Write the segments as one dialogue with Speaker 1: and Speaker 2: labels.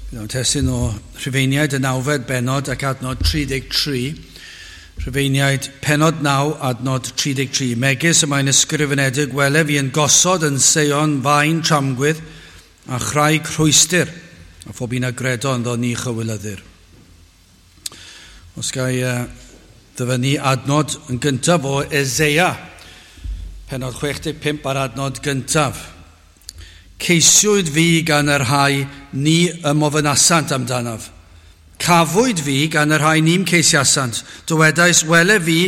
Speaker 1: Bydd testun o Rhufeiniaid y nawfed bennod ac adnod 33. Rhufeiniaid pennod 9, adnod 33. Megis y mae'n ysgrifenedig, wele fi yn gosod yn Seion faen tramgwydd a chraig rhwystr, a phob un a gredo ynddo ni chywilyddir. Os ga i ddyfynnu adnod yn gyntaf o Eseia, pennod 65 ar adnod gyntaf. Ceisiwyd fi gan y rhai ni ymofynasant amdanaf. Cafwyd fi gan y rhai ni'm ceisiasant. Dywedais, wele fi,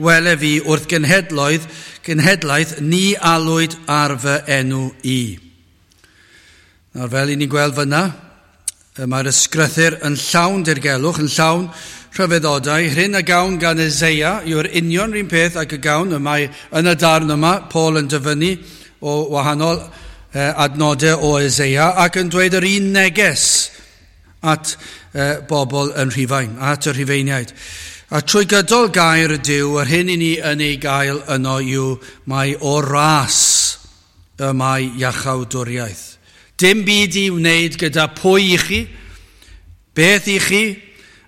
Speaker 1: wele fi, wrth genhedloedd, genhedlaeth, ni alwyd ar fy enw i. Nawr, fel i ni'n gweld fyna, mae'r ysgrythur yn llawn dirgelwch, yn llawn rhyfeddodau. Hyn a gawn gan Eseia yw'r union rhywun peth ac y gawn y mae yn y darn yma, Paul yn dyfynnu o wahanol adnodau o Eseia ac yn dweud yr un neges at bobl yn Rhufain, at y Rhufeiniaid. A trwy gydol gair Duw, yr hyn i ni yn ei gael yno yw mae o ras y mae iachawdwriaeth. Dim byd i wneud gyda pwy i chi, beth i chi,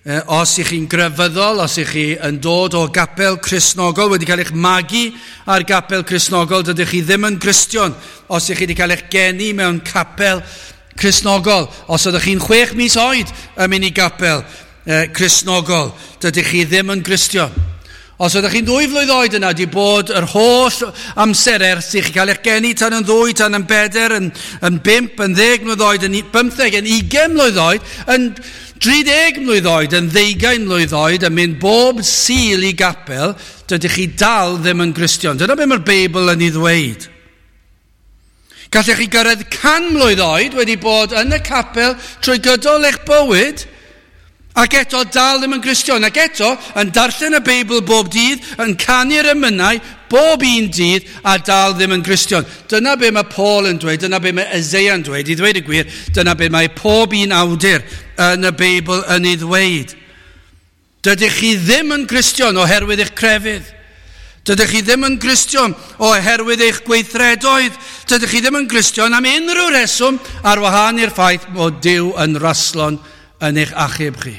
Speaker 1: os i chi'n grefyddol, os i chi yn dod o gapel Cristnogol, wedi cael eich magu ar gapel Cristnogol, dydych chi ddim yn Gristion. Os i chi wedi cael eich geni mewn capel Cristnogol, os ydych chi'n 6 mis oed yn mynd i gapel Cristnogol, dydych chi ddim yn Gristion. Os ydych chi'n 2 flwydd oed yna, di bod yr holl amser ers i chi cael eich geni tan yn 2, tan yn 4, yn 5, yn 10 mlwydd oed, yn 15, yn 20 mlwydd oed, yn 30 mlwydd oed, yn 20 mlwydd oed, yn mynd bob Sul i gapel, dydych chi dal ddim yn Gristion. Dyna beth mae'r Beibl yn ei ddweud. Gallech chi gyrraedd 100 mlwydd oed wedi bod yn y capel trwy gydol eich bywyd, ac eto dal ddim yn Gristion, ac eto yn darllen y Beibl bob dydd, yn canu'r emynau bob un dydd, a dal ddim yn Gristion. Dyna be mae Paul yn dweud, dyna be mae Eseia yn dweud, i ddweud y gwir, dyna be mae pob un awdur yn y Beibl yn ei ddweud. Dydych chi ddim yn Gristion oherwydd eich crefydd. Dydych chi ddim yn Gristion oherwydd eich gweithredoedd. Dydych chi ddim yn Gristion am unrhyw reswm ar wahân i'r ffaith bod Duw yn raslon yn eich achub chi.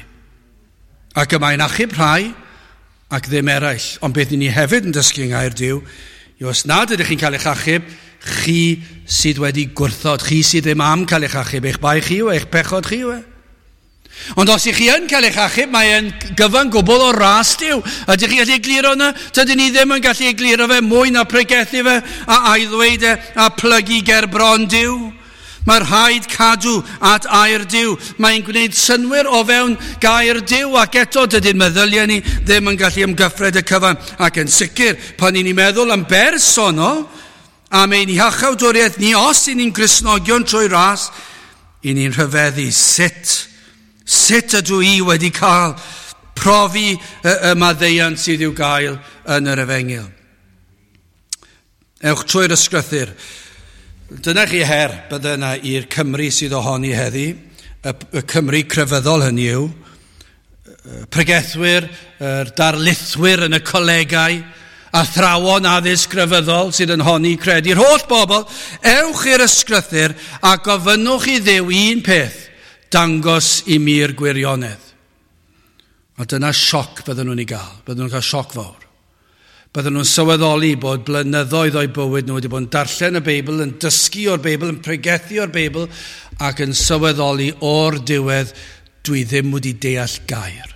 Speaker 1: Ac y mae'n achub rhai ac ddim eraill. Ond beth ni hefyd yn dysgu yng ngair Duw yw os nad ydych chi'n cael eich achub, chi sydd wedi gwrthod, chi sydd ddim am cael eich achub, eich bai chi yw, eich pechod chi yw e. Ond os ych chi yn cael eich achub, mae'n gyfan gwbl o ras Duw. Ydych chi'n gallu egluro yna? Dydyn ni ddim yn gallu egluro fe mwy na pregethu fe a ailddweud e a plygu ger bron Duw. Mae rhaid cadw at air Duw. Mae'n gwneud synnwyr o fewn gair Duw, ac eto dydy'n meddyliau ni ddim yn gallu ymgyffred y cyfan. Ac yn sicr, pan ni'n meddwl am bersonol, am ein iachawdwriaeth ni, os y'n ni'n Gristnogion trwy ras, i ni'n rhyfeddu sut ydw i wedi cael profi y maddeuant sydd i'w gael yn yr Efengyl. Ewch trwy'r ysgrythur. Dyna chi her bydde yna i'r Cymru sydd ohoni heddi, y Cymru crefyddol hynny yw, pregethwyr, yr darlithwyr yn y colegau, athrawon addysg crefyddol sydd yn honni credu'r holl bobl, ewch i'r ysgrythur a gofynnwch i Dduw un peth, dangos i mi'r gwirionedd. A dyna sioc bydden nhw'n ei gael, bydden nhw'n cael sioc fawr. Bydden nhw'n sylweddoli bod blynyddoedd o'u bywyd nhw wedi bod yn darllen y Beibl, yn dysgu o'r Beibl, yn pregethu o'r Beibl, ac yn sylweddoli o'r diwedd, dwi ddim wedi deall gair.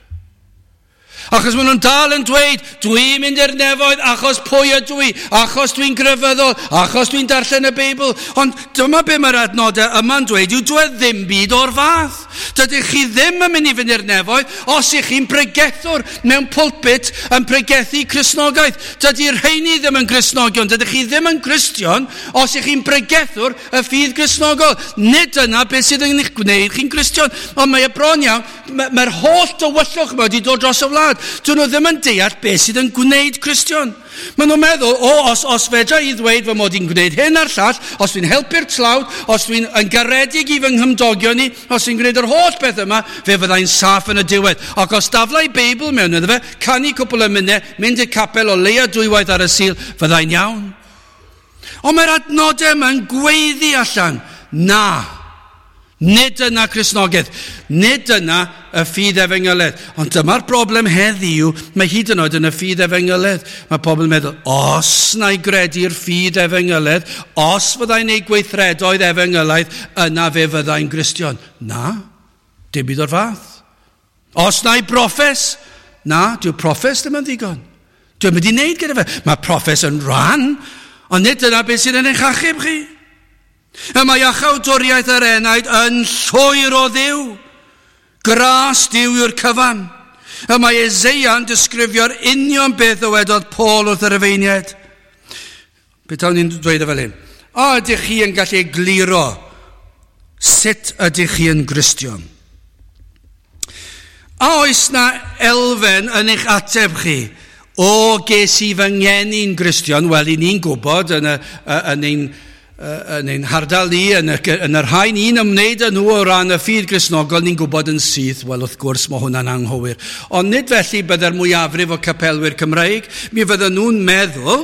Speaker 1: Achos maen nhw'n dal yn dweud, dwi'n mynd i'r nefoedd achos pwy ydw i, achos dwi'n grefyddol, achos dwi'n darllen y Beibl. Ond dyma be mae'r adnodau yma'n dweud, yw dwi ddim byd o'r fath. Dydych chi ddim yn mynd i fynd i'r nefoedd os ych chi'n pregethwr mewn pulpit yn pregethu Cristnogaeth. Dydy'r rheini ddim yn Gristnogion, dydych chi ddim yn Gristion os ych chi'n pregethwr y ffydd Gristnogol. Nid dyna beth sydd yn eich gwneud chi'n Gristion. Ond mae y bron iawn, mae'r holl dywyllwch yma wedi dod dros y wlad. Dyn nhw ddim yn deall beth sydd yn gwneud Cristion. Maen nhw'n meddwl, os fedra i ddweud fy mod i'n gwneud hyn a'r llall, os dwi'n helpu'r tlawd, os dwi'n yn garedig i fy nghymdogion ni, os dwi'n gwneud yr holl beth yma, fe fyddai'n saff yn y diwedd. Ac os daflai Beibl mewn iddo fe, canu cwpl o emynau, mynd i'r capel o leia 2 waith ar y Sul, fyddai'n iawn. Ond mae'r adnodau yma'n gweiddi allan, na, Nid dyna Cristnogaeth, nid dyna y ffydd efengyledd. Ond dyma'r broblem heddiw, mae hyd yn oed yn y ffydd efengyledd. Mae pobl yn meddwl, os na i gredu'r ffydd efengyledd, os fyddai'n neud gweithredoedd efengylaidd, yna fe fyddai'n Gristion. Na, dim byd o'r fath. Os na i broffes, na, dyw'r proffes ddim yn ddigon. Dwi'n mynd i wneud gyda fe. Mae proffes yn rhan, ond nid dyna beth sydd yn eich achub chi. Y mae iachawdwriaeth yr enaid yn llwyr o Dduw. Gras Duw yw'r cyfan. Y mae Eseia'n disgrifio'r union beth ddywedodd Paul wrth yr Rufeiniaid. Beth o'n i'n dweud e fel hyn? O, ydych chi yn gallu egluro sut ydych chi yn Gristion? A oes na elfen yn eich ateb chi? O, ges i fy ngeni'n Gristion? Wel, i ni'n gwybod yn, y, yn ein yn ein hardal ni, yn y rhai ni'n ymwneud â nhw o ran y ffydd Gristnogol, ni'n gwybod yn syth, wel wrth gwrs mae hwnna'n anghywir. Ond nid felly bydde'r mwyafrif o capelwyr Cymreig, mi fydden nhw'n meddwl,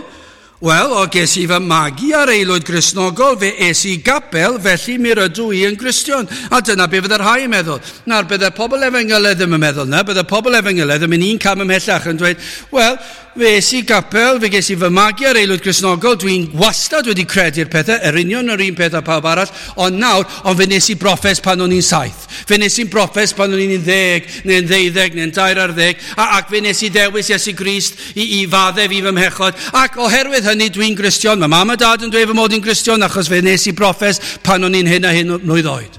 Speaker 1: wel, o ges i fy magu ar aelwyd Gristnogol, fe es i gapel, felly mi rydw i yn Gristion. A dyna be fydde'r rhai yn meddwl. Nawr, bydde pobl efengyledd ddim yn meddwl na, bydde pobl efengyledd yn mynd un cam ymhellach yn dweud, wel, fe es i gapel, fe ges i fy magu ar aelwyd Gristnogol, dwi'n wastad wedi credu'r pethau, yr union yr un peth â pawb arall, ond nawr, ond fe nes i broffes pan o'n i'n 7. Fe nes i'n broffes pan o'n i'n 10, neu'n 12, neu'n 14, ac fe nes i ddewis Iesu Grist i faddef i fy mhechod, ac oherwydd hynny dwi'n Gristion. Mae mam a dad yn dweud fy mod i'n Gristion achos fe nes i broffes pan o'n i'n hyn a hyn mlwydd oed.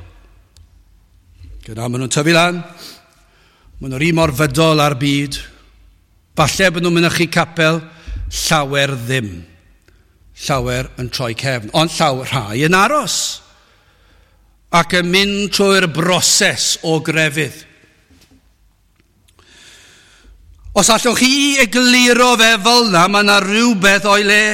Speaker 1: Gyda maen nhw'n tyfu lan, maen nhw'r un mor fydol ar byd. Falle bod nhw'n mynychu capel, llawer ddim. Llawer yn troi cefn, ond llawer rhai yn aros ac yn mynd trwy'r broses o grefydd. Os allwch chi egluro fe fel yna, mae yna rhywbeth o'i le.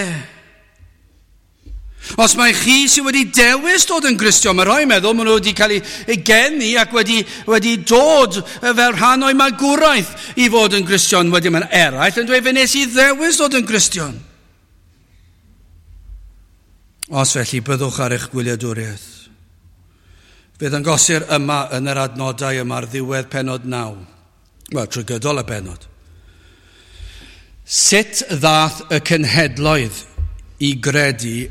Speaker 1: Os mae chi sydd wedi dewis dod yn Gristion, mae rhai meddwl maen nhw wedi cael eu geni ac wedi dod fel rhan o'i magwraeth i fod yn Gristion. Wedyn mae'n eraill yn dweud, fe nes i ddewis dod yn Gristion. Os felly, byddwch ar eich gwyliadwriaeth. Fe ddangosir yma yn yr adnodau yma ar ddiwedd pennod 9. Wel, trwy gydol y bennod. Sut ddath y cenhedloedd i gredu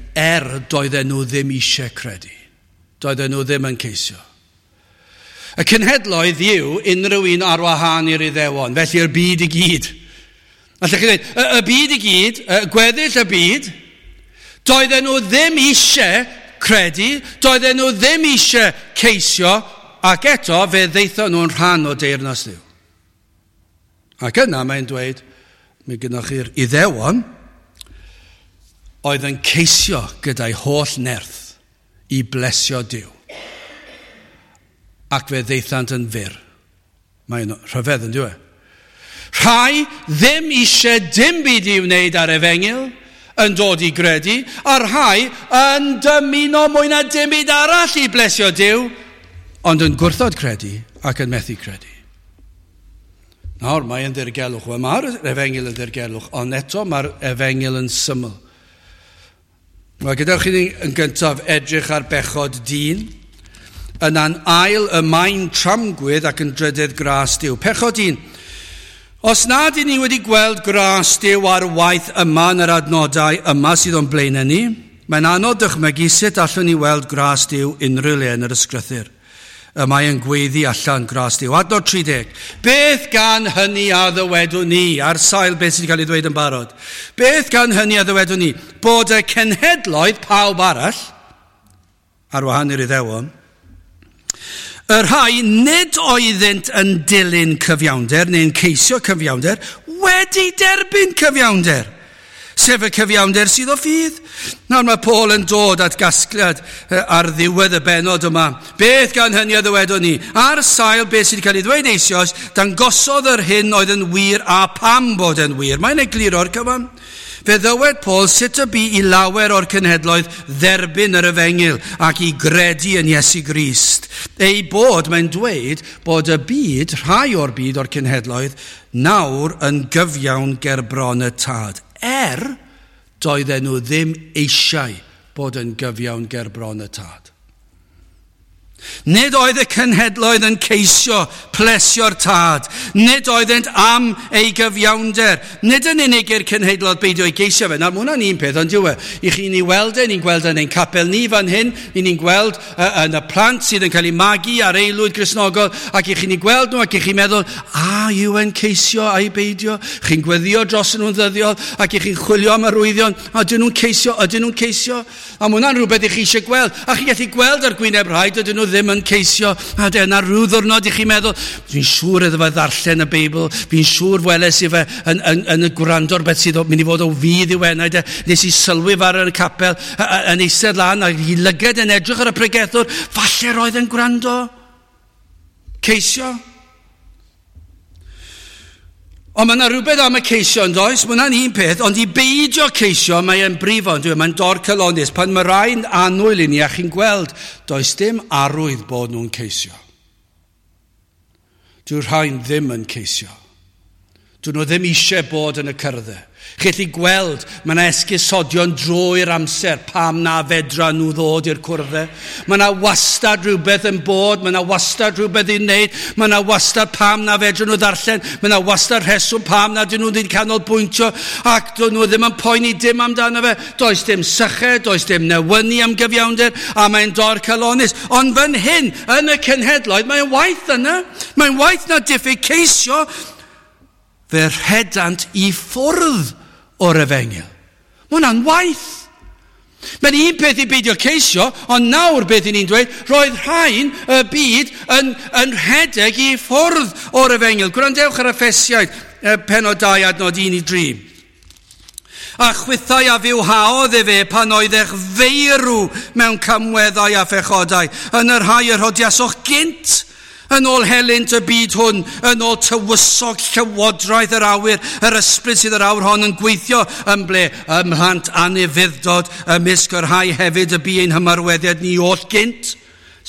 Speaker 1: doedden nhw ddim eisiau credu? Doedden nhw ddim yn ceisio. Y cenhedloedd yw unrhyw un ar wahân i'r Iddewon, felly'r byd i gyd. Allwch chi ddweud, y byd i gyd, y gweddill y byd, doedden nhw ddim eisiau credu, doedden nhw ddim eisiau ceisio, ac eto fe ddaethon nhw'n rhan o deyrnas Dduw. Ac yna mae'n dweud, mi gynnwch chi'r Iddewon oedd yn ceisio gyda'i holl nerth i blesio Duw. Ac fe ddaethant yn fyr. Mae'n rhyfedd yn dyw e. Rhai ddim eisiau dim byd i wneud ar efengyl, yn dod i gredu, a rhai yn dymuno mwy na dim byd arall i blesio Duw, ond yn gwrthod credu ac yn methu credu. Nawr, mae yn ddirgelwch. Wel, mae'r efengyl yn ddirgelwch, ond eto mae'r efengyl yn syml. Wel, gadewch i ni yn gyntaf edrych ar bechod dyn, yna'n ail y maen tramgwydd ac yn drydydd gras Duw. Pechod dyn. Os nad y'n ni wedi gweld gras Duw ar waith yma yn yr adnodau yma sydd o'n blaenau ni, mae'n anodd dychmygu sut allwn ni weld gras Duw unrhyw le yn yr ysgrythur. Y mae yn gweiddi allan gras Duw. Adnod 30. Beth gan hynny a ddywedwn ni, ar sail beth sydd wedi cael ei ddweud yn barod? Beth gan hynny a ddywedwn ni? Bod y cenhedloedd pawb arall, ar wahân i'r Iddewon, y rhai nid oeddynt yn dilyn cyfiawnder neu'n ceisio cyfiawnder, wedi derbyn cyfiawnder, sef y cyfiawnder sydd o ffydd. Nawr mae Paul yn dod at gasgliad ar ddiwedd y bennod yma. Beth gan hynny a ddywedwn ni? Ar sail beth sydd wedi cael ei ddweud eisoes, dangosodd yr hyn oedd yn wir a pam bod yn wir. Mae'n egluro'r cyfan. Fe ddywed Paul sut y bu i lawer o'r cenhedloedd dderbyn yr efengyl ac i gredu yn Iesu Grist. Ei bod, mae'n dweud, bod y byd, rhai o'r byd o'r cenhedloedd, nawr yn gyfiawn ger bron y tad. Doedden nhw ddim eisiau bod yn gyfiawn ger bron y tad. Nid oedd y cenhedloedd yn ceisio plesio'r Tad. Nid oeddent am ei gyfiawnder. Nid yn unig i'r cenhedloedd beidio i geisio fe. Nawr, mae hwnna'n un peth, ond dyw e. I chi ni weld e, ni'n gweld yn ein capel ni fan hyn, i ni'n gweld yn y plant sydd yn cael eu magu ar aelwyd Gristnogol, ac i chi ni gweld nhw, ac i chi'n meddwl, a yw e'n ceisio a'i beidio? Chi'n gweddio dros nhw'n ddyddiol, ac i chi'n chwilio am arwyddion, a ydyn nhw'n ceisio, ydyn nhw'n ceisio? A mae hwnna'n rhywbeth i chi eisiau gweld. A chi'n gallu gweld ar gwyneb rhai, dydyn nhw ddim yn ceisio. A dyna rhyw ddwrnod i chi meddwl, fi'n siŵr iddo fe ddarllen y Beibl, fi'n siŵr weles i fe yn y gwrando ar beth sydd mynd i fod o fudd i'w enaid e. Nes i sylwi fe ar y capel, yn eistedd lan, a i lyged yn edrych ar y pregethwr, falle roedd yn gwrando. Ceisio. Ond mae yna rhywbeth am y ceisio yn does, mae hwnna'n un peth, ond i beidio ceisio mae e'n brifo, yn dyw e? Mae'n dorcalonnus. Pan mae rhai'n annwyl i ni a chi'n gweld, does dim arwydd bod nhw'n ceisio. Dyw'r rhain ddim yn ceisio. Dyn nhw ddim eisiau bod yn y cyrddau. Chi'n gallu gweld, mae yna esgusodion drwy'r amser pam na fedra nhw ddod i'r cwrddau. Mae yna wastad rhywbeth yn bod, mae yna wastad rhywbeth i'w wneud, mae yna wastad pam na fedra nhw ddarllen, mae yna wastad rheswm pam na dyn nhw ddim canolbwyntio, ac dyn nhw ddim yn poeni dim amdano fe. Does dim syched, does dim newynu am gyfiawnder, a mae'n dorcalonnus. Ond fan hyn, yn y cenhedloedd, mae'n waeth yna. Mae'n waeth na diffyg ceisio. Fe rhedant i ffwrdd o'r efengyl. Mae hwnna'n waeth. Mae'n un peth i beidio ceisio, ond nawr beth i ni'n dweud, roedd rhain y byd yn rhedeg i ffwrdd o'r efengyl. Gwrandewch ar Effesiaid, pennod 2 adnod 1 i 3. A chwithau a fywhaodd efe pan oeddech feirw mewn camweddau a phechodau, yn yr rhai yr rhodiasoch gynt, yn ôl helynt y byd hwn, yn ôl tywysog llywodraeth yr awyr, yr ysbryd sydd yr awr hon yn gweithio yn ble, ym mhlant anufudd-dod, ymysg yr rhai hefyd y bu ein hymarweddiad ni oll gynt.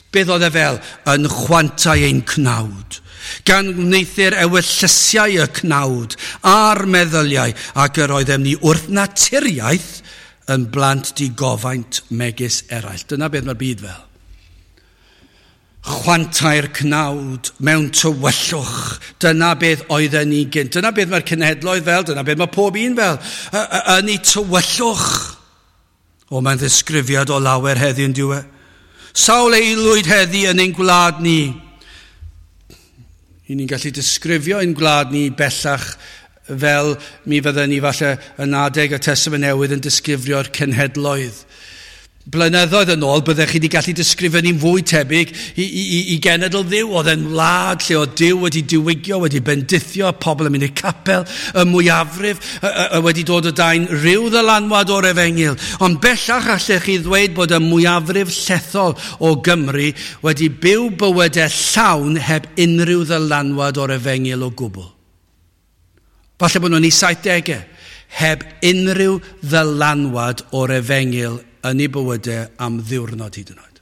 Speaker 1: Beth oedd e fel? Yn chwantau ein cnawd, gan wneuthur ewyllysiau y cnawd a'r meddyliau, ac yr oeddem ni wrth naturiaeth yn blant digofaint megis eraill. Dyna beth mae'r byd fel. Chwantau'r cnawd mewn tywyllwch. Dyna beth oedden ni gynt. Dyna beth mae'r cenhedloedd fel, dyna beth mae pob un fel. Yn ei tywyllwch. O, mae'n ddisgrifiad o lawer heddiw yn dyw e. Sawl aelwyd heddi yn ein gwlad ni. I ni'n gallu disgrifio ein gwlad ni bellach fel mi fydden ni falle yn adeg y Testament Newydd yn disgrifio'r cenhedloedd. Blynyddoedd yn ôl, byddech chi wedi gallu disgrifio ni'n fwy tebyg i genedl Dduw. Oedd e'n wlad lle oedd Duw wedi diwygio, wedi bendithio, pobl yn mynd i'r capel, y mwyafrif wedi dod o dan rhyw ddylanwad o'r efengyl. Ond bellach allech chi ddweud bod y mwyafrif llethol o Gymru wedi byw bywydau llawn heb unrhyw ddylanwad o'r efengyl o gwbl. Falle bod nhw'n eu 70au, heb unrhyw ddylanwad o'r efengyl yn ei bywydau am ddiwrnod hyd yn oed.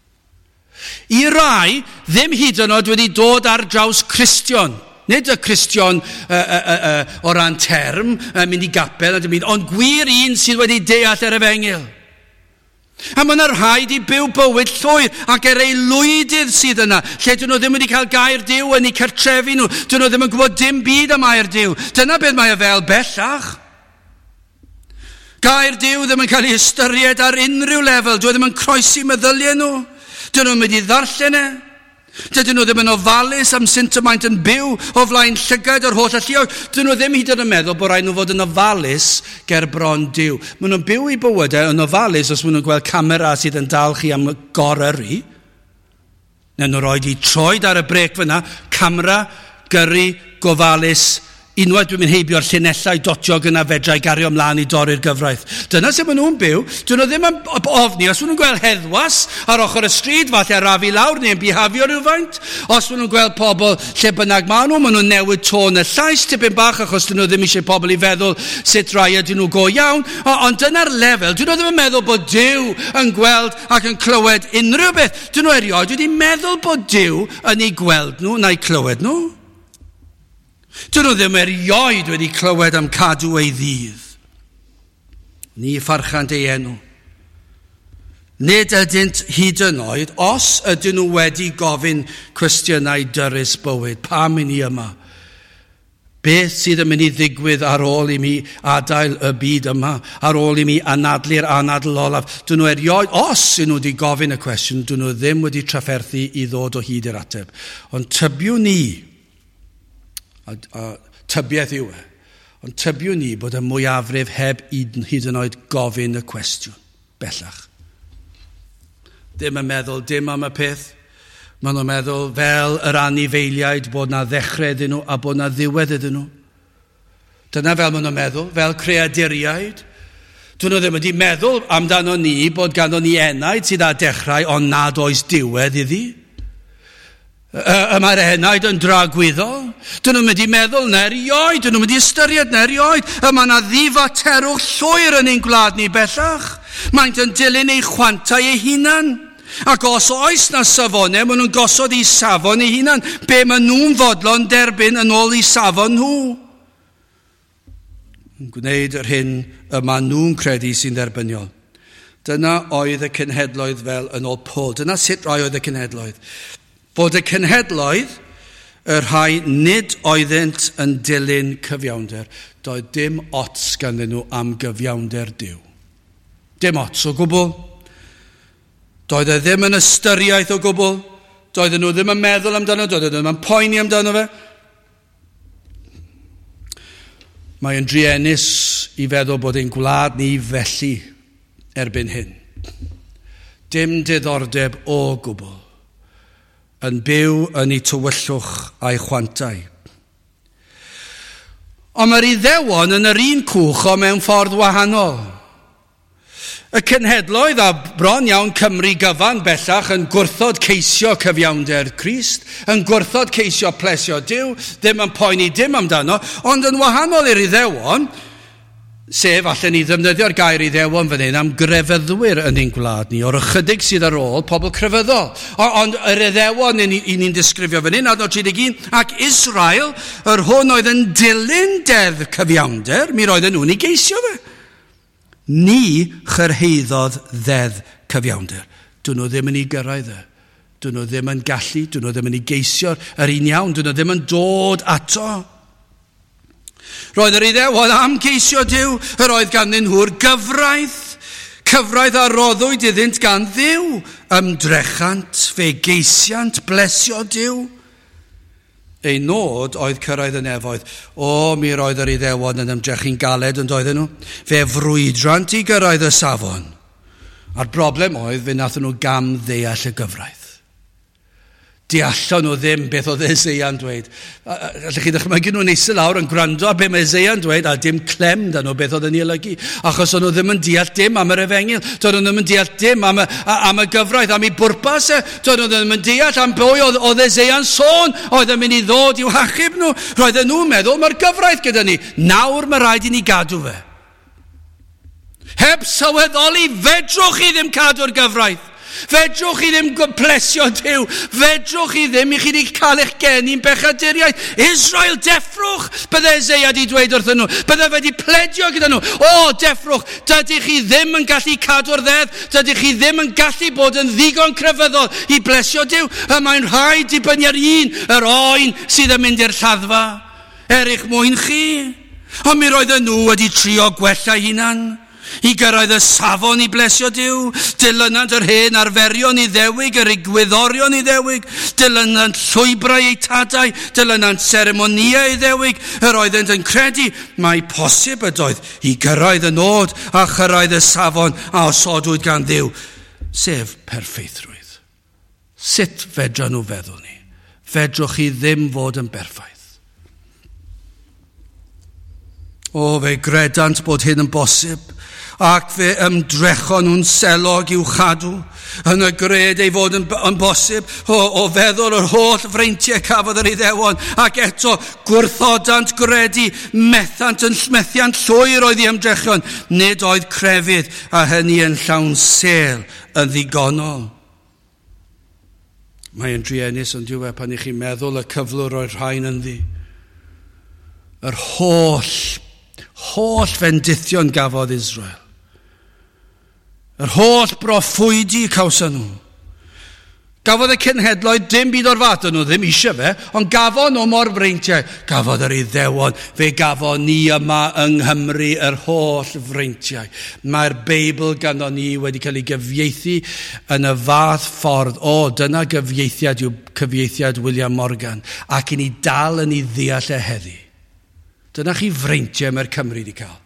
Speaker 1: I rai, ddim hyd yn oed wedi dod ar draws Cristion. Nid y Cristion o ran term, mynd i gapel, a dim byd, ond gwir un sydd wedi deall yr efengyl. A mae yna rhai di byw bywyd llwyr ac er aelwydydd sydd yna, lle dyn nhw ddim wedi cael gair Duw yn eu cartrefi nhw, dyn nhw ddim yn gwybod dim byd am air Duw. Dyna beth mae e fel bellach. Gair Duw ddim yn cael ei ystyried ar unrhyw lefel, dyw e ddim yn croesi meddyliau nhw, dyn nhw'n mynd i ddarllen e. Dydyn nhw ddim yn ofalus am sut y maent yn byw o flaen llygad yr holl alluog. Dydyn nhw ddim hyd yn oed yn meddwl bod rhaid nhw fod yn ofalus ger bron Duw. Maen nhw'n byw eu bywydau yn ofalus os maen nhw'n gweld camera sydd yn dal chi am goryrru. Neu nhw roed i troed ar y brêc fyna, camera, gyrru, gofalus. Unwaith dwi'n mynd heibio'r llinellau dotiog yna fedra i gario ymlaen i dorri'r gyfraith. Dyna sut maen nhw'n byw. Dyn nhw ddim yn ofni. Os maen nhw'n gweld heddwas ar ochr y stryd, falle arafu lawr neu'n bihafio rhywfaint. Os maen nhw'n gweld pobl lle bynnag maen nhw, maen nhw'n newid tôn y llais tipyn bach achos dyn nhw ddim eisiau pobl i feddwl sut rai ydyn nhw go iawn. Ond dyna'r lefel. Dyn nhw ddim yn meddwl bod Duw yn gweld ac yn clywed unrhyw beth. Dyn nhw erioed wedi meddwl bod Duw yn eu gweld nhw na'i clywed nhw. Dyn nhw ddim erioed wedi clywed am cadw ei ddydd. Ni pharchant ei enw. Nid ydynt hyd yn oed, os ydyn nhw wedi gofyn cwestiynau dyrys bywyd, pam i ni yma? Beth sydd yn mynd i ddigwydd ar ôl i mi adael y byd yma, ar ôl i mi anadlu'r anadl olaf? Dyn nhw erioed, os ydyn nhw wedi gofyn y cwestiwn, dyn nhw ddim wedi trafferthu i ddod o hyd i'r ateb. Ond tybiwn ni, a tybiaeth yw e, ond tybiwn ni bod y mwyafrif heb hyd yn oed gofyn y cwestiwn bellach. Ddim yn meddwl dim am y peth. Maen nhw'n meddwl fel yr anifeiliaid bod na ddechrau iddyn nhw a bod na ddiwedd iddyn nhw. Dyna fel maen nhw'n meddwl, fel creaduriaid. Dyn nhw ddim wedi meddwl amdano ni bod ganddo ni enaid sydd â dechrau ond nad oes diwedd iddi. Y mae'r enaid yn dragwyddol. Dyn nhw'n mynd i meddwl na erioed, dyn nhw'n mynd i ystyried na erioed. Y mae yna ddifaterwch llwyr yn ein gwlad ni bellach. Maent yn dilyn eu chwantau eu hunan. Ac os oes na safonau, maen nhw'n gosod eu safon eu hunan. Be maen nhw'n fodlon derbyn yn ôl eu safon nhw. Yn gwneud yr hyn y maen nhw'n credu sy'n dderbyniol. Dyna oedd y cenhedloedd fel yn ôl Paul. Dyna sut rai oedd y cenhedloedd. Bod y cenhedloedd, y rhai nid oeddynt yn dilyn cyfiawnder, doedd dim ots ganddyn nhw am gyfiawnder Duw. Dim ots o gwbl. Doedd e ddim yn ystyriaeth o gwbl. Doedden nhw ddim yn meddwl amdano, doedden nhw ddim yn poeni amdano fe. Mae'n druenus i feddwl bod ein gwlad ni felly erbyn hyn. Dim diddordeb o gwbl yn byw yn ei tywyllwch a'i chwantau. Ond mae'r Iddewon yn yr un cwch o mewn ffordd wahanol. Y cenhedloedd a bron iawn Cymru gyfan bellach yn gwrthod ceisio cyfiawnder Crist, yn gwrthod ceisio plesio Duw, ddim yn poeni dim amdano, ond yn wahanol i'r Iddewon, sef allan ni ddefnyddio'r gair Iddewon fan hyn am grefyddwyr yn ein gwlad ni, o'r ychydig sydd ar ôl pobl crefyddol. Ond yr Iddewon i ni'n disgrifio fan hyn, adnod 31, ac Israel, yr hwn oedd yn dilyn deddf cyfiawnder, mi roedden nhw'n ei geisio fe. Ni chyrhaeddodd ddeddf cyfiawnder. Dyn nhw ddim yn ei gyrraedd e. Dyn nhw ddim yn gallu, dyn nhw ddim yn ei geisio'r yr un iawn, dyn nhw ddim yn dod ato. Roedd yr Iddewon am geisio Duw, yr oedd ganddyn nhw'r gyfraith, cyfraith a roddwyd iddynt gan Dduw, ymdrechant, fe geisiant, blesio Duw. Ei nod oedd cyrraedd y nefoedd. O, mi roedd yr Iddewon yn ymdrechu'n galed yn doedden nhw. Fe frwydrant i gyrraedd y safon. A'r broblem oedd fe nathon nhw gam ddeall y gyfraith. Deallon nhw ddim beth oedd Eseia'n dweud. Allwch chi ddychmygu nhw'n eistedd lawr yn gwrando ar beth mae Eseia'n dweud a dim clem da nhw beth oedd yn ei olygu. Achos o'n nhw ddim yn deall dim am yr efengyl. Doedd nhw ddim yn deall dim am y gyfraith, am ei bwrpas e. Doedd nhw ddim yn deall am bwy oedd Eseia'n sôn oedd yn mynd i ddod i'w hachub nhw. Roedden nhw'n meddwl mae'r gyfraith gyda ni. Nawr mae rhaid i ni gadw fe. Heb sylweddoli, fedrwch chi ddim cadw'r gyfraith. Fedrwch chi ddim plesio Duw. Fedrwch chi ddim i chi wedi cael eich geni'n bechaduriaid. Israel, deffrwch, bydde Eseia wedi dweud wrthyn nhw. Bydde fe wedi pledio gyda nhw. O, deffrwch, dydych chi ddim yn gallu cadw'r ddeddf. Dydych chi ddim yn gallu bod yn ddigon crefyddol i blesio Duw. Y mae'n rhaid dibynnu ar un, yr oen sydd yn mynd i'r lladdfa. Er eich mwyn chi. Ond mi roedden nhw wedi trio gwella hunan. I gyrraedd y safon i blesio Duw, dilynant yr hen arferion Iddewig, yr egwyddorion Iddewig, dilynant llwybrau eu tadau, dilynant seremonïau Iddewig, yr oeddent yn credu mai posib ydoedd i gyrraedd y nod a chyrraedd y safon a osodwyd gan Dduw, sef perffeithrwydd. Sut fedra nhw feddwl ni? Fedrwch chi ddim fod yn berffaith. O, fe gredant bod hyn yn bosib, ac fe ymdrechon nhw'n selog i'w chadw, yn y gred ei fod yn bosib, o feddwl yr holl freintiau cafodd yr Iddewon, ac eto gwrthodant gredu, methiant llwyr oedd ei ymdrechion, nid oedd crefydd, a hynny yn llawn sel yn ddigonol. Mae'n druenus ond yw e pan i chi'n meddwl y cyflwr o'r rhain ynddi. Yr holl fendithion gafodd Israel. Yr holl broffwydi cawson nhw. Gafodd y cenhedloedd dim byd o'r fath, nhw ddim eisiau fe, ond gafon nhw mor freintiau. Gafodd yr Iddewon, fe gafon ni yma yng Nghymru yr holl freintiau. Mae'r Beibl ganddo ni wedi cael ei gyfieithu yn y fath ffordd. O, dyna gyfieithiad yw cyfieithiad William Morgan, ac i ni dal yn ei ddeall e heddi. Dyna chi freintiau mae'r Cymru wedi cael.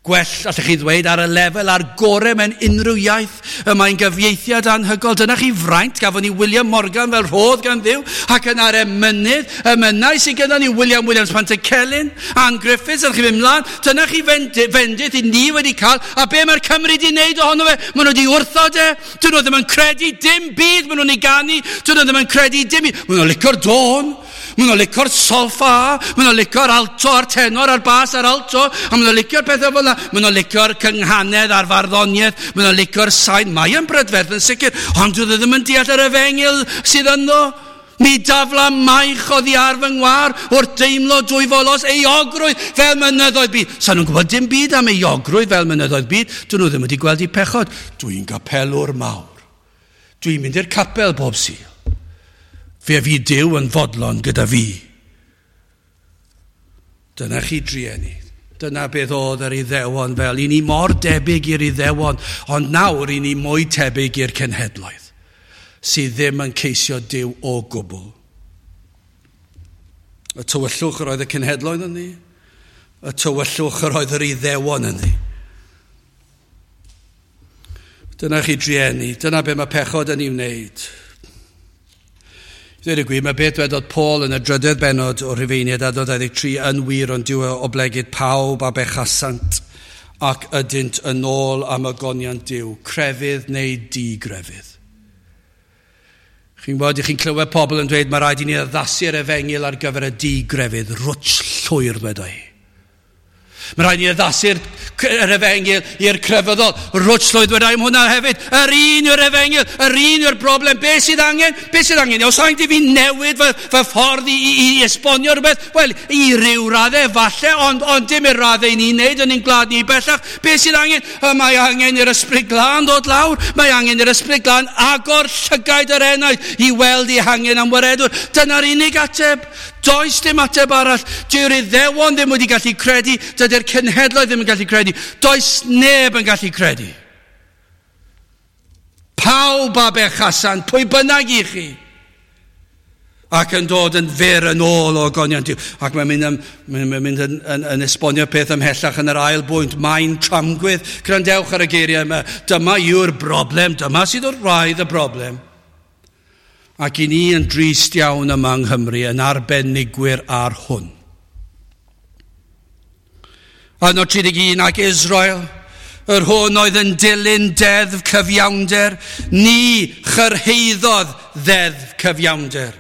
Speaker 1: Gwell, allech chi ddweud, ar y lefel a'r gorau mewn unrhyw iaith. Y mae'n gyfieithiad anhygoel. Dyna chi fraint, gafon ni William Morgan fel rhodd gan Dduw, ac yna'r emynydd, emynau sydd gyda ni William Williams Pantycelyn, Ann Griffiths, allech chi fynd mlaen. Dyna chi fendith i ni wedi cael, a be mae'r Cymru wedi wneud ohono fe? Maen nhw wedi wrthod e. Dyn nhw ddim yn credu dim byd maen nhw'n ei ganu. Dyn nhw ddim yn credu dim byd. Maen nhw'n licio'r dôn. Maen nhw'n licio'r solfa, maen nhw'n licio'r alto a'r tenor a'r bas a'r alto, a maen nhw'n licio'r pethau fel yna. Maen nhw'n licio'r cynghanedd a'r farddoniaeth, maen nhw'n licio'r sain. Mae yn brydferth yn sicr, ond dwi ddim yn deall yr efengyl sydd ynddo. Mi dafla maich oddi ar fy ngwar wrth deimlo dwyfolos euogrwydd fel mynyddoedd byd. Sa nhw'n gwybod dim byd am euogrwydd fel mynyddoedd byd. Dyn nhw ddim wedi gweld eu pechod. Dwi'n gapelwr mawr. Dwi'n mynd i'r capel bob Sul. Fe fydd Duw yn fodlon gyda fi. Dyna chi drueni. Dyna beth oedd yr Iddewon fel. I ni mor debyg i'r Iddewon, ond nawr i ni mwy tebyg i'r cenhedloedd sydd ddim yn ceisio Duw o gwbl. Y tywyllwch yr oedd y cenhedloedd ynddi, y tywyllwch yr oedd yr Iddewon ynddi. Dyna chi drueni, dyna be mae pechod yn ei wneud. Dweud y gwir, mae beth dwedodd Paul yn y drydedd bennod o'r Rhufeiniaid adnod 23 yn wir, ond dyw e oblegid pawb a bechasant ac ydynt yn ôl am ogoniant Duw, crefydd neu digrefydd. Chi'n gwybod, chi'n clywed pobl yn dweud mae rhaid i ni addasu'r efengyl ar gyfer y digrefydd, rwtsh llwyr dweud i. Mae rhaid i ni addasu'r yr efengyl i'r crefyddol. Rwtsh llwyr dweud am hwnna hefyd. Yr un yw'r efengyl, yr un yw'r broblem. Be sydd angen? Be sydd angen? Os angen i fi newid fy ffordd i esbonio rhywbeth? Wel, i ryw raddau falle, ond dim i'r raddau i ni'n neud yn ein gwlad ni bellach. Be sydd angen? Mae angen i'r Ysbryd Glân ddod lawr. Mae angen i'r Ysbryd Glân agor llygaid yr enaid i weld ei hangen am waredwr. Dyna'r unig ateb. Does dim ateb arall. Dyw'r Iddewon ddim wedi gallu credu, dydy'r cenhedloedd ddim yn gallu credu. Does neb yn gallu credu. Pawb a bechasant, pwy bynnag i chi, ac yn dod yn fyr yn ôl o ogoniant Duw. Ac mae'n mynd yn esbonio peth ymhellach yn yr ail bwynt. Mae'n tramgwydd. Gwrandewch ar y geiriau yma. Dyma yw'r broblem. Dyma sydd wrth wraidd y broblem. Ac i ni yn drist iawn yma yng Nghymru yn arbenigwyr ar hwn. Adnod 31, ac Israel, yr hwn oedd yn dilyn deddf cyfiawnder, ni chyrhaeddodd ddeddf cyfiawnder.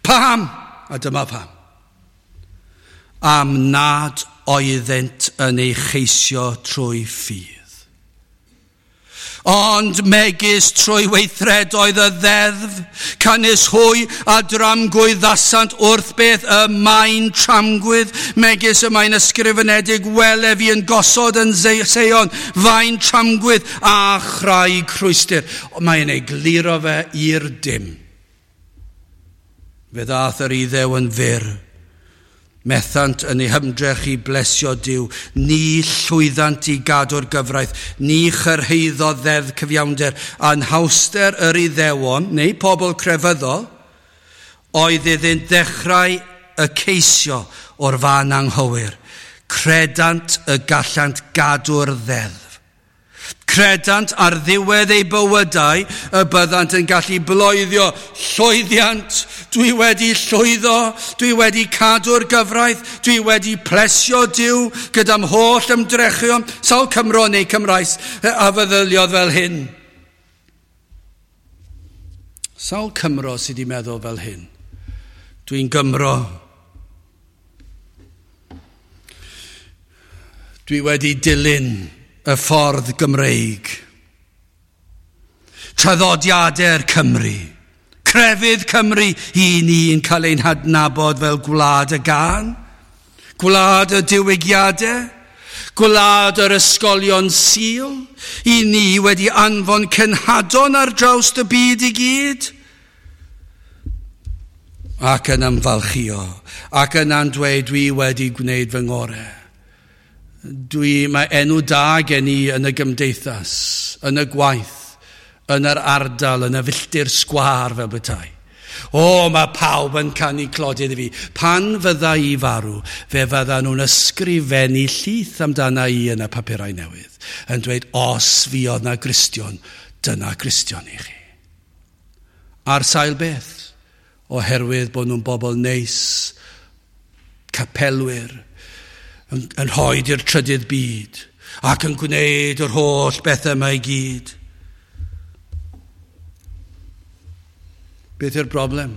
Speaker 1: Paham? A dyma pam. Am nad oeddynt yn ei cheisio trwy ffydd. Ond megis trwy weithredoedd y ddeddf, canys hwy a dramgwyddasant wrth beth y mae'n tramgwydd, megis y mae'n ysgrifenedig, wele fi yn gosod yn Seion, faen tramgwydd a chraig rhwystr. Mae'n egluro fe i'r dim. Fe ddaeth yr Iddew yn fyr. Methant yn eu hymdrech i blesio Duw, ni llwyddant i gadw'r gyfraith, ni chyrhaeddodd ddeddf cyfiawnder. Anhawster yr Iddewon, neu pobl crefyddol, oedd iddynt ddechrau y ceisio o'r fan anghywir. Credant y gallant gadw'r ddeddf. Credant ar ddiwedd eu bywydau y byddant yn gallu bloeddio llwyddiant. Dwi wedi llwyddo, dwi wedi cadw'r gyfraith, dwi wedi plesio Duw gyda'm holl ymdrechion. Sawl Cymro neu Cymraes a feddyliodd fel hyn? Sawl Cymro sydd wedi meddwl fel hyn? Dwi'n Gymro. Dwi wedi dilyn y ffordd Gymreig. Traddodiadau'r Cymru, crefydd Cymru, i ni'n cael ein hadnabod fel gwlad y gân, gwlad y diwygiadau, Gwlad yr ysgolion Sul, i ni wedi anfon cenhadon ar draws y byd i gyd. Ac yn ymfalchio, ac yna'n dweud dwi wedi gwneud fy ngorau. Mae enw da gen i yn y gymdeithas, yn y gwaith, yn yr ardal, yn y filltir sgwâr fel bethau. O, mae pawb yn canu clodydd i fi. Pan fydda i farw, fe fydda nhw'n ysgrifennu llith amdana i yn y papurau newydd, yn dweud, os fuodd na Gristion, dyna Gristion i chi. Ar sail beth? Oherwydd bod nhw'n bobl neis, capelwyr, yn rhoi i'r trydydd byd, ac yn gwneud yr holl bethau yma i gyd. Beth yw'r broblem?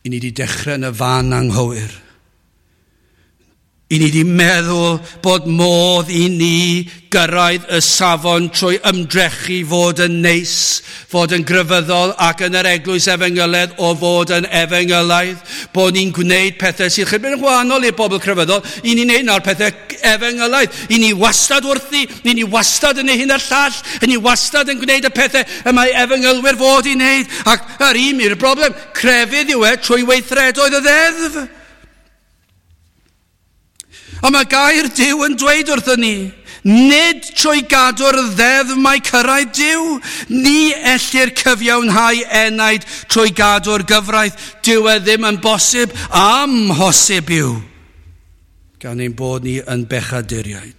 Speaker 1: I ni wedi dechrau yn y fan anghywir. I ni wedi meddwl bod modd i ni gyrraedd y safon trwy ymdrechu fod yn neis, fod yn grefyddol ac yn yr eglwys efengylaidd o fod yn efengylaidd, bod ni'n gwneud pethau sy'n chydig yn wahanol i'r bobl crefyddol, i ni'n gwneud nawr pethau efengylaidd. I ni wastad wrthi, i ni wastad yn ei hyn a'r llall, i ni wastad yn gwneud y pethau y mae efengylwyr fod i wneud. Ac yr un yw'r broblem, crefydd yw e trwy weithredoedd y ddeddf. A mae gair Duw yn dweud wrthyn ni, nid trwy gadw'r ddeddf mae cyrraedd Duw, ni ellir cyfiawnhau enaid trwy gadw'r gyfraith. Dyw e ddim yn bosib, amhosib yw, gan ein bod ni yn bechaduriaid.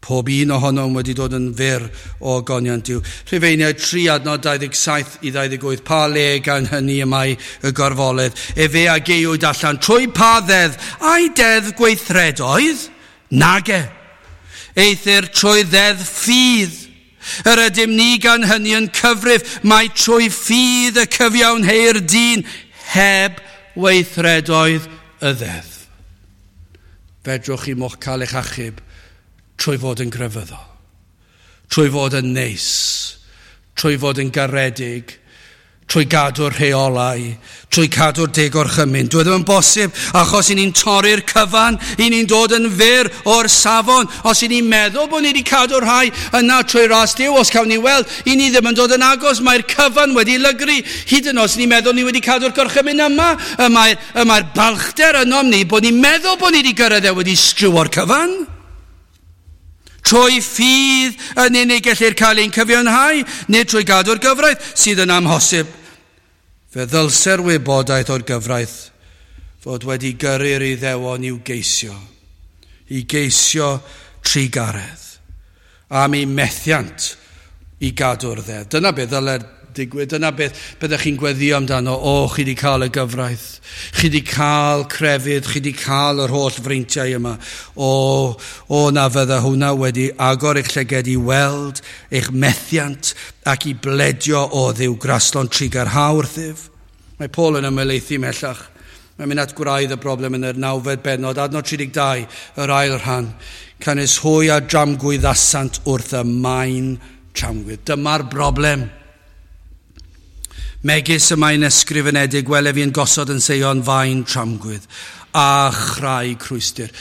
Speaker 1: Pob un ohonom wedi dod yn fyr o ogoniant Duw. Rhufeiniaid 3 adnod 27 i 28. Pa le gan hynny y mae y gorfoledd? Efe a gaewyd allan trwy pa ddeddf? Ai deddf gweithredoedd? Nage. Eithr trwy ddeddf ffydd. Yr ydym ni gan hynny yn cyfrif mai trwy ffydd y cyfiawnheir dyn heb weithredoedd y ddeddf. Fedrwch chi mo'ch cael eich achub trwy fod yn grefyddol, trwy fod yn neis, trwy fod yn garedig, trwy gadw'r rheolau, trwy cadw'r deg orchymyn. Dwi ddim yn bosib, achos i ni'n torri'r cyfan, i ni'n dod yn fyr o'r safon. Os i ni'n meddwl bod ni wedi cadw'r rhai yna trwy ras Duw, os cawn ni weld, i ni ddim yn dod yn agos, mae'r cyfan wedi lygru. Hyd yn oed os ni'n meddwl ni wedi cadw'r gorchymyn yma, y mae'r balchder ynom ni bod ni'n meddwl bod ni wedi gyrraedd e wedi strywio'r cyfan. Trwy ffydd yn unig gellir cael ein cyfiawnhau, nid trwy gadw'r gyfraith sydd yn amhosib. Fe ddylse'r wybodaeth o'r gyfraith fod wedi gyrru'r Iddewon i'w geisio, i geisio trugaredd, am eu methiant i gadw'r ddeddf. Dyna beth ddyle'r digwydd, dyna beth byddech chi'n gweddio amdano. O, chi wedi cael y gyfraith, chi wedi cael crefydd, chi wedi cael yr holl freintiau yma. O, na fydda hwnna wedi agor eich llyged i weld eich methiant ac i bledio o Dduw graslon trugarha wrthyf. Mae Paul yn ymhelaethu ymhellach. Mae'n mynd at gwraidd y broblem yn yr 9fed bennod, adnod 32, yr ail rhan. Canys hwy a dramgwyddasant wrth y maen tramgwydd. Dyma'r broblem. Megis y mae'n ysgrifenedig, wele fi yn gosod yn Seion faen tramgwydd a chraig rhwystr.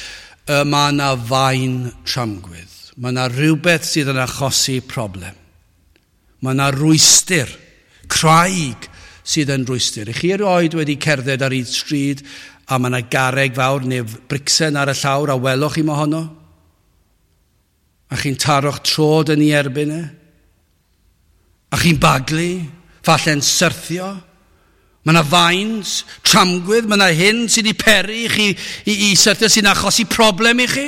Speaker 1: Y mae yna faen tramgwydd. Mae yna rhywbeth sydd yn achosi problem. Mae yna rwystr, craig sydd yn rwystr. I chi erioed wedi cerdded ar hyd stryd a mae yna garreg fawr neu bricsen ar y llawr a welwch chi mohono? A chi'n taro'ch trod yn ei erbyn e? A chi'n baglu? Falle'n syrthio. Mae yna faen, tramgwydd, mae yna hyn sydd wedi peri i chi i syrthio sy'n achosi problem i chi.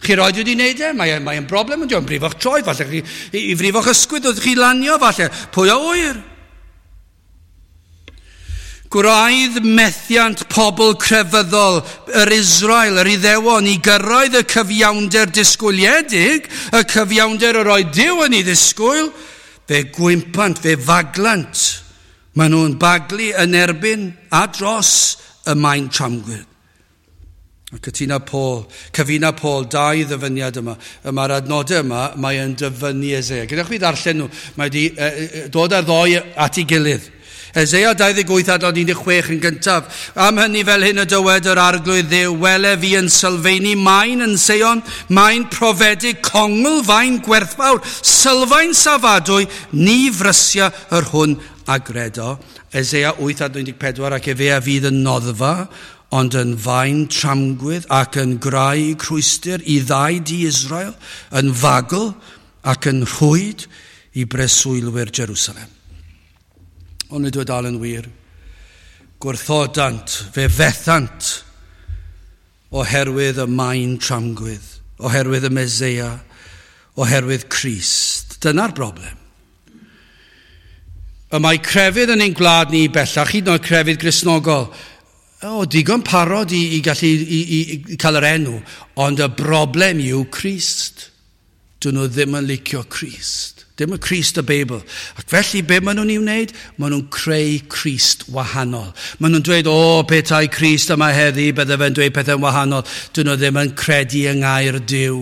Speaker 1: Chi roed wedi wneud e, mae'n broblem, ond yn brifo'ch troed, falle chi, i frifo'ch ysgwydd wrth chi lanio, falle, pwy a ŵyr. Gwraidd methiant pobl crefyddol yr Israel, yr Iddewon, i gyrraedd y cyfiawnder disgwyliedig, y cyfiawnder yr oedd Duw yn ei ddisgwyl, fe gwympant, fe faglant. Maen nhw'n baglu yn erbyn a dros y maen tramgwydd. A cytuna Paul, cyfuna Paul dau ddyfyniad yma. Y mae'r adnodau yma, mae yn dyfynnu Eseia. Gyda chi ddarllen nhw, mae wedi dod ar ddoi at ei gilydd. Eseia 28 adnod 16 yn gyntaf. Am hynny fel hyn y dywed yr Arglwydd Dduw, wele fi yn sylfaenu maen yn Seion, maen profedig, congl, faen gwerthfawr, sylfaen safadwy, ni frysia yr hwn a gredo. Eseia 8 adnod 14, ac efe a fydd yn noddfa, ond yn faen tramgwydd ac yn graig rhwystr i ddau di Israel, yn fagl ac yn rhwyd i breswylwyr Jerusalem. Ond nid yw dal yn wir. Gwrthodant, fe fethant oherwydd y maen tramgwydd, oherwydd y Meseia, oherwydd Crist. Dyna'r broblem. Y mae crefydd yn ein gwlad ni bellach, hyd yn oed crefydd Gristnogol, o, digon parod i gallu i cael yr enw, ond y broblem yw Crist. Dyn nhw ddim yn licio Crist. Dim y Crist y Beibl. Ac felly, be maen nhw'n ei wneud? Maen nhw'n creu Crist wahanol. Maen nhw'n dweud, o, petai Crist yma heddi, bydde fe'n dweud pethau'n wahanol. Dyn nhw ddim yn credu yng ngair Duw.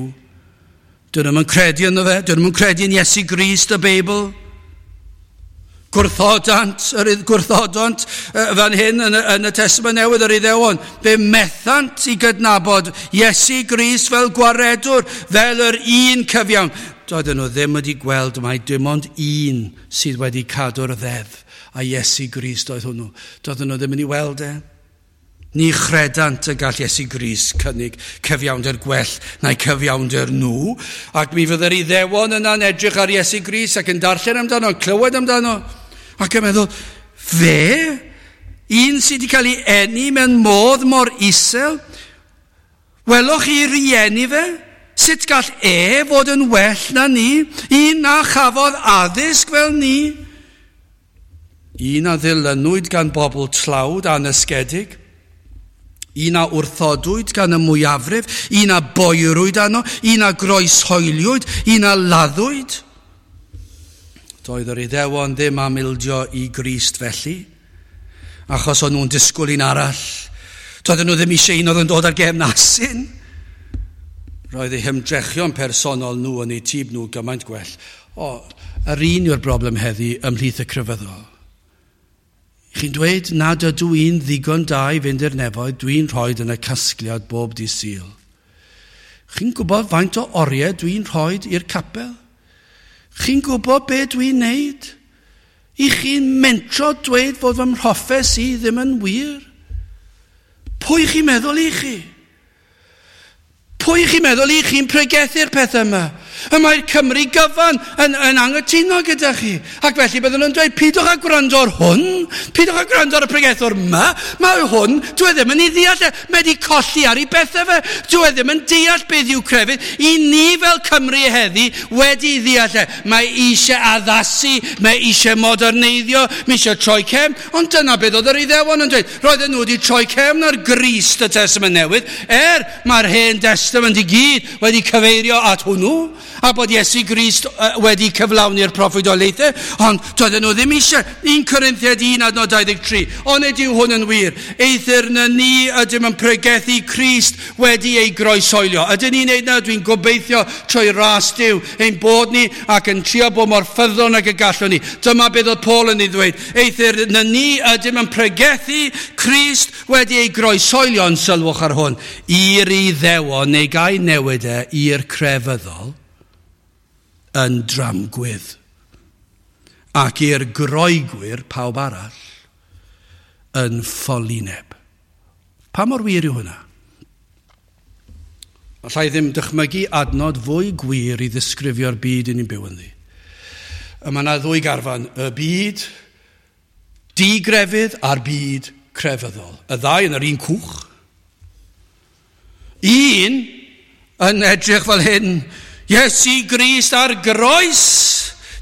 Speaker 1: Dyn nhw'n credu ynddo fe. Dyn nhw'n credu yn Iesu Grist y Beibl. Gwrthodant fan hyn yn y Testament Newydd yr Iddewon. Fe methant i gydnabod Iesu Grist fel gwaredwr, fel yr un cyfiawn. Doedden nhw ddim wedi gweld mai dim ond un sydd wedi cadw'r ddeddf, a Iesu Grist oedd hwnnw. Doedden nhw ddim yn ei weld e. Ni chredant y gall Iesu Grist cynnig cyfiawnder gwell na'i cyfiawnder nhw. Ac mi fydde'r Iddewon yna'n edrych ar Iesu Grist ac yn darllen amdano, clywed amdano. Ac yn meddwl, fe? Un sydd wedi cael ei eni mewn modd mor isel? Welwch chi rieni fe? Sut gall e fod yn well na ni? Un na chafodd addysg fel ni? Un a ddilynwyd gan bobl tlawd anysgedig? Un a wrthodwyd gan y mwyafrif, un a boerwyd arno, un a groeshoeliwyd, un a laddwyd. Doedd yr Iddewon ddim am ildio i Grist felly, achos o'n nhw'n disgwyl un arall. Doedden nhw ddim eisiau un oedd yn dod ar gefn asyn. Roedd eu hymdrechion personol nhw yn eu tîb nhw gymaint gwell. O, yr un yw'r broblem heddi ymhlith y crefyddol. Chi'n dweud nad ydw i'n ddigon da i fynd i'r nefoedd, dwi'n rhoi yn y casgliad bob dydd Sul. Chi'n gwybod faint o oriau dwi'n rhoi i'r capel? Chi'n gwybod be dwi'n neud? I chi'n mentro dweud fod fy mhroffes i ddim yn wir? Pwy chi'n meddwl i chi? Pwy chi'n meddwl i chi'n pregethu'r pethau yma? Y mae'r Cymru gyfan yn anghytuno gyda chi. Ac felly byddwn nhw'n dweud, pidwch â gwrando ar hwn, pidwch â gwrando ar y pregethwr yma, mae hwn, dwi e ddim yn ei ddeall e, mae wedi colli ar ei bethau fe, dwi e ddim yn deall beth yw crefydd. I ni fel Cymru heddi wedi ddeall e, mae eisiau addasu, mae eisiau moderneiddio, mae eisiau troi cefn, ond dyna beth oedd yr Iddewon yn dweud. Roedden nhw wedi troi cefn ar Grist y Testament Newydd, mae'r Hen Testament i gyd wedi cyfeirio at hwnnw, a bod Iesu Grist wedi cyflawni'r proffwydoliaethau, ond doedden nhw ddim eisiau. 1 Corinthiaid 1 adnod 23, onid yw hwn yn wir? Eithr na ni ydym yn pregethu Crist wedi ei groeshoelio. Ydyn ni'n neud na? Dwi'n gobeithio trwy ras Duw ein bod ni ac yn trio bod mor ffyddlon ag y gallwn ni. Dyma beth oedd Paul yn ei ddweud. Eithr na ni ydym yn pregethu Crist wedi ei groeshoelio, yn sylwch ar hwn, i'r Iddewon neu gai newid e i'r crefyddol yn dramgwydd, ac i'r Groegwyr, pawb arall, yn ffolineb. Pa mor wir yw hwnna? Allai ddim dychmygu adnod fwy gwir i ddisgrifio'r byd i ni'n byw ynddi. Y mae yna ddwy garfan, y byd digrefydd a'r byd crefyddol. Y ddau yn yr un cwch. Un yn edrych fel hyn, Iesu Grist ar groes,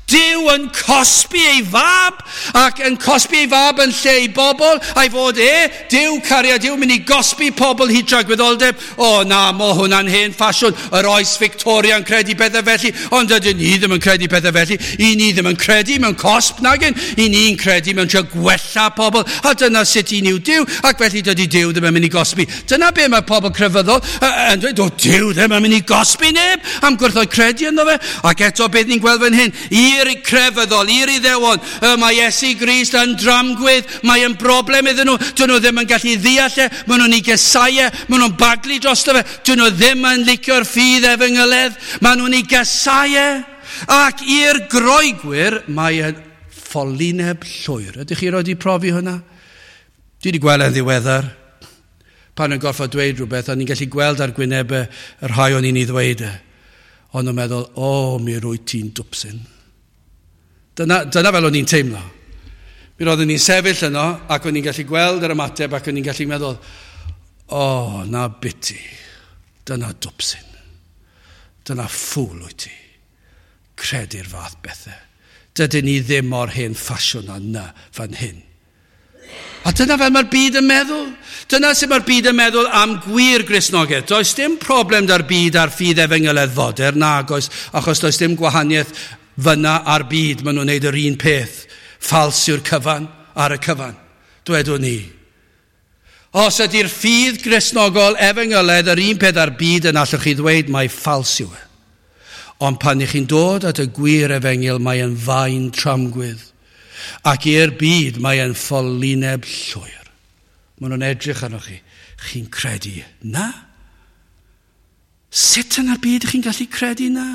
Speaker 1: Duw yn cosbi ei fab, ac yn cosbi ei fab yn lle ei bobl, a'i fod e, Duw cariad Duw, mynd i gosbi pobl hyd tragwyddoldeb. O na, mo hwnna'n hen ffasiwn, yr oes Victoria'n credu pethau felly, ond ydyn ni ddim yn credu pethau felly. I ni ddim yn credu mewn cosb nagyn, i ni'n credu mewn trio gwella pobl, a dyna sut i ni yw Duw, ac felly dydy Duw ddim yn mynd i gosbi. Dyna be mae pobl crefyddol yn dweud, o Duw ddim yn mynd i gosbi neb, am gwrthod credu ynddo fe. Ac eto beth ni'n gweld fan hyn, I'r crefyddol, i'r Iddewon, mae Iesu Grist yn dramgwydd, mae yn broblem iddyn nhw, dyn nhw ddim yn gallu ddeall e, maen nhw'n ei gasáu e, maen nhw'n baglu drosto fe, dyn nhw ddim yn licio'r ffydd efengyledd, maen nhw'n ei gasáu e. Ac i'r Groegwyr, mae yn ffolineb llwyr. Ydych chi wedi profi hwnna? Dwi wedi gweld e'n ddiweddar. Pan yn gorfod dweud rhywbeth, o'n i'n gallu gweld ar gwynebau y rhai o'n i'n ei ddweud e. Ond nhw'n meddwl, o, mi rwyt ti'n dwpsyn. Dyna fel o'n i'n teimlo. Mi roeddwn i'n sefyll yno, ac o'n i'n gallu gweld yr ymateb, ac o'n i'n gallu meddwl, o, na biti, dyna dwpsyn. Dyna ffŵl wyt ti. Credu'r fath bethau. Dydyn ni ddim mor hen ffasiwn â na fan hyn. A dyna fel mae'r byd yn meddwl. Dyna sut mae'r byd yn meddwl am gwir Gristnogaeth. Does dim problem da'r byd a'r ffydd efengyledd fodern, nag oes, achos does dim gwahaniaeth fyna a'r byd. Maen nhw'n neud yr un peth. Ffals yw'r cyfan ar y cyfan, dwedwn ni. Os ydy'r ffydd Gristnogol efengyledd yr un peth a'r byd, yn allwch chi ddweud mai ffals yw e. Ond pan ych chi'n dod at y gwir efengyl, mae yn faen tramgwydd. Ac i'r byd mae yn ffolineb llwyr. Maen nhw'n edrych arnoch chi. Chi'n credu na? Sut yn y byd chi'n gallu credu na?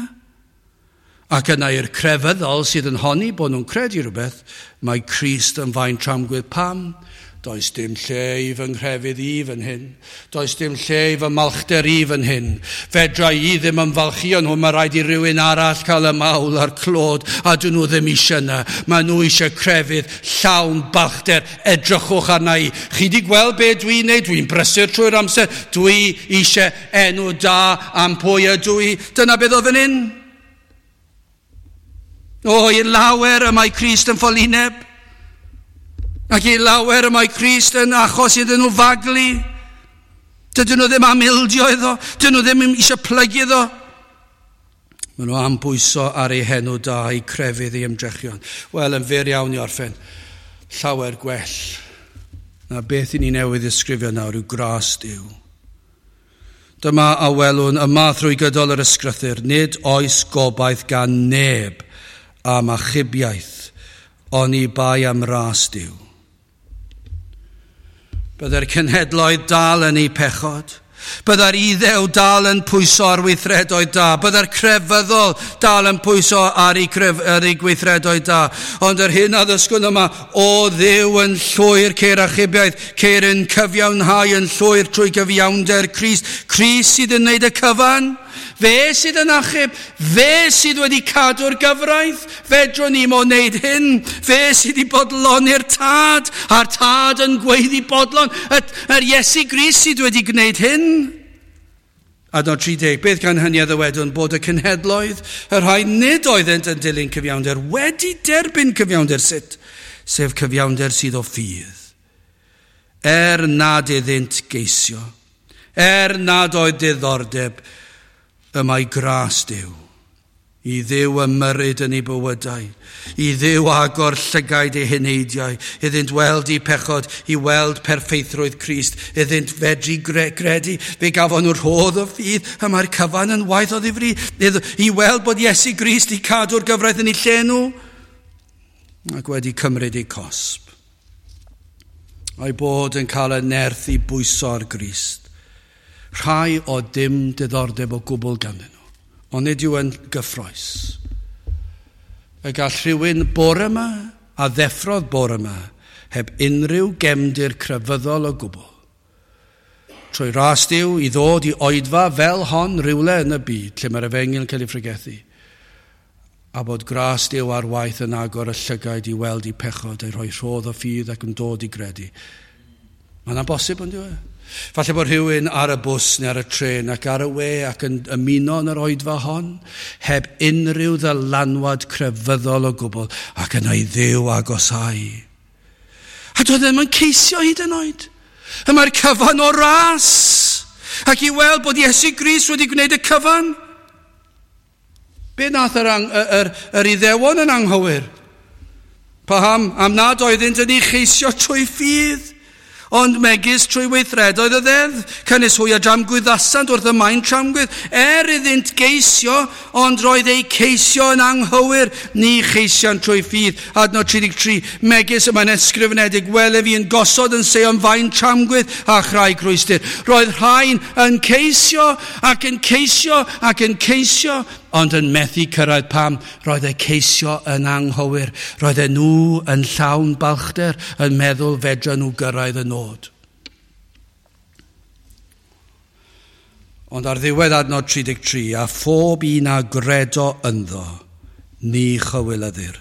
Speaker 1: Ac yna i'r crefyddol sydd yn honni bod nhw'n credu rhywbeth, mae Crist yn faen tramgwydd. Pam? Does dim lle i fy nghrefydd i fan hyn. Does dim lle i fy malchder i fan hyn. Fedra i ddim ymfalchïo nhw, mae rhaid i rywun arall cael y mawl a'r clod, a dyn nhw ddim eisiau yna. Mae nhw eisiau crefydd llawn balchder. Edrychwch arna i. Chi di gweld be dwi'n neud? Dwi'n brysur trwy'r amser. Dwi eisiau enw da am pwy ydw i. Dyna beth oedd fan hyn. O, i lawer y mae Crist yn ffolineb. Ac i lawer y mae Crist yn achos iddyn nhw faglu. Dydyn nhw ddim am ildio iddo. Dydyn nhw ddim eisiau plygu iddo. Maen nhw am bwyso ar ei henw da, ei crefydd, ei ymdrechion. Wel, yn fyr iawn i orffen, llawer gwell na beth i ni newydd ddisgrifio nawr yw gras Duw. Dyma a welwn yma thrwy gydol yr ysgrythur, nid oes gobaith gan neb am achubiaeth, oni bai am ras Duw. Byddai'r cenhedloedd dal yn eu pechod. Byddai'r Iddew dal yn pwyso ar weithredoedd da. Byddai'r crefyddol dal yn pwyso ar ei gweithredoedd da. Ond yr hyn a ddysgwn yma, o Dduw yn llwyr ceir achubiaeth, ceir yn cyfiawnhau yn llwyr trwy gyfiawnder Crist. Crist sydd yn wneud y cyfan. Fe sydd yn achub, fe sydd wedi cadw'r gyfraith, fedrwn ni mo wneud hyn, fe sydd wedi bodloni'r tad, a'r tad yn gweiddi bodlon, yr Iesu Grist sydd wedi gwneud hyn. Adnod 30, beth gan hynny a ddywedwn bod y cenhedloedd, y rhai nid oeddent yn dilyn cyfiawnder, wedi derbyn cyfiawnder sut, sef cyfiawnder sydd o ffydd. Er nad iddynt geisio, er nad oedd diddordeb, y mae gras Duw, i Dduw ymyrryd yn ei bywydau, i Dduw agor llygaid eu heneidiau, iddynt weld eu pechod, i weld perffeithrwydd Crist, iddynt fedru gredu, fe gafon nhw rhodd o ffydd, y mae'r cyfan yn waith o ddifri, i weld bod Iesu Grist i cadw'r gyfraith yn eu lle nhw, ac wedi cymryd eu cosb. A'i bod yn cael y nerth i bwyso ar Grist. Rhai o dim diddordeb o gwbl ganddyn nhw, ond nid yw yn gyffrous. Y gall rhywun bore yma a ddeffrodd bore yma heb unrhyw gefndir crefyddol o gwbl. Trwy ras Duw i ddod i oedfa fel hon rywle yn y byd lle mae'r efengyl yn cael ei phregethu, a bod gras Duw ar waith yn agor y llygaid i weld eu pechod, ei rhoi rhodd o ffydd ac yn dod i gredu. Mae'n amhosib, ond yw e? Falle bod rhywun ar y bws neu ar y trên ac ar y we ac yn ymuno yn yr oedfa hon, heb unrhyw ddylanwad crefyddol o gwbl, ac yna i Dduw agosau. A doedd ddim yn ceisio hyd yn oed. Y mae'r cyfan o ras. Ac i weld bod Iesu Grist wedi gwneud y cyfan. Be nath yr Iddewon yn anghywir? Paham? Am nad oeddynt yn ei cheisio trwy ffydd. Ond megis trwy weithredoedd y ddeddf, canys hwy a dramgwyddasant wrth y maen tramgwydd, iddynt geisio, ond roedd eu ceisio yn anghywir, ni cheisiant trwy ffydd. Adnod 33, megis y mae'n ysgrifenedig, wele fi yn gosod yn Seion faen tramgwydd a chraig rwystr. Roedd rhain yn ceisio ac yn ceisio ac yn ceisio, ond yn methu cyrraedd. Pam? Roedd eu ceisio yn anghywir. Roedd nhw yn llawn balchder, yn meddwl fedra nhw gyrraedd y nod. Ond ar ddiwedd adnod 33, a phob un a gredo ynddo, ni chywilyddir.